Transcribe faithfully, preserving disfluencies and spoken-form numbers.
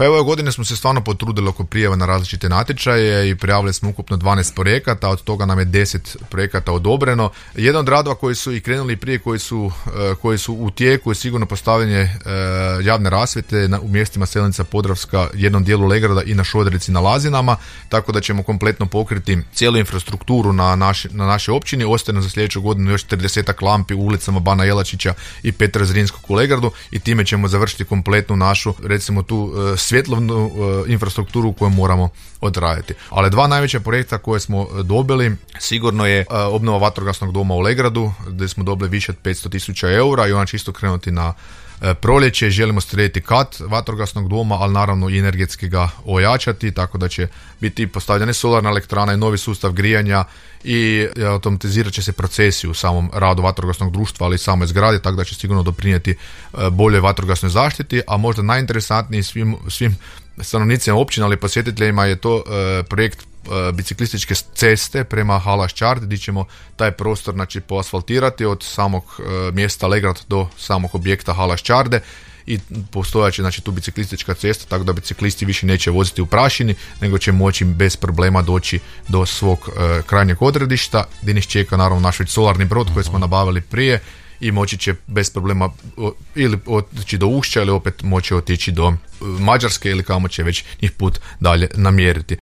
Pa evo ove godine smo se stvarno potrudili oko prijava na različite natječaje i prijavili smo ukupno dvanaest projekata, od toga nam je deset projekata odobreno. Jedan od radova koji su i krenuli prije, koji su, koji su u tijeku je sigurno postavljanje javne rasvjete u mjestima Selnica, Podravska, jednom dijelu Legrada i na Šoderici na Lazinama, tako da ćemo kompletno pokriti cijelu infrastrukturu na, naši, na našoj općini. Ostaje nam za sljedeću godinu još tridesetak lampi u ulicama Bana Jelačića i Petra Zrinskog u Legradu i time ćemo završiti kompletnu našu, recimo tu svjetlovnu infrastrukturu koju moramo odraditi. Ali dva najveća projekta koje smo dobili sigurno je obnova vatrogasnog doma u Legradu, gdje smo dobili više od petsto tisuća eura i ona će isto krenuti na proljeće. Želimo srediti kat vatrogasnog doma, ali naravno i energetski ga ojačati, tako da će biti postavljena solarna elektrana i novi sustav grijanja i automatizirat će se procesi u samom radu vatrogasnog društva, ali i samoj zgradi, tako da će sigurno doprinijeti boljoj vatrogasnoj zaštiti. A možda najinteresantniji svim, svim stanovnicima općina, ali posjetiteljima je to e, projekt e, biciklističke ceste prema Halaščard, gdje ćemo taj prostor znači, poasfaltirati od samog e, mjesta Legrad do samog objekta Halaščarde i postojaće znači, tu biciklistička cesta, tako da biciklisti više neće voziti u prašini, nego će moći bez problema doći do svog e, krajnjeg odredišta, gdje nas čeka naravno naš solarni brod koji smo nabavili prije i moći će bez problema ili otići do Ušća ili opet moći otići do Mađarske ili kamo će već njih put dalje namjeriti.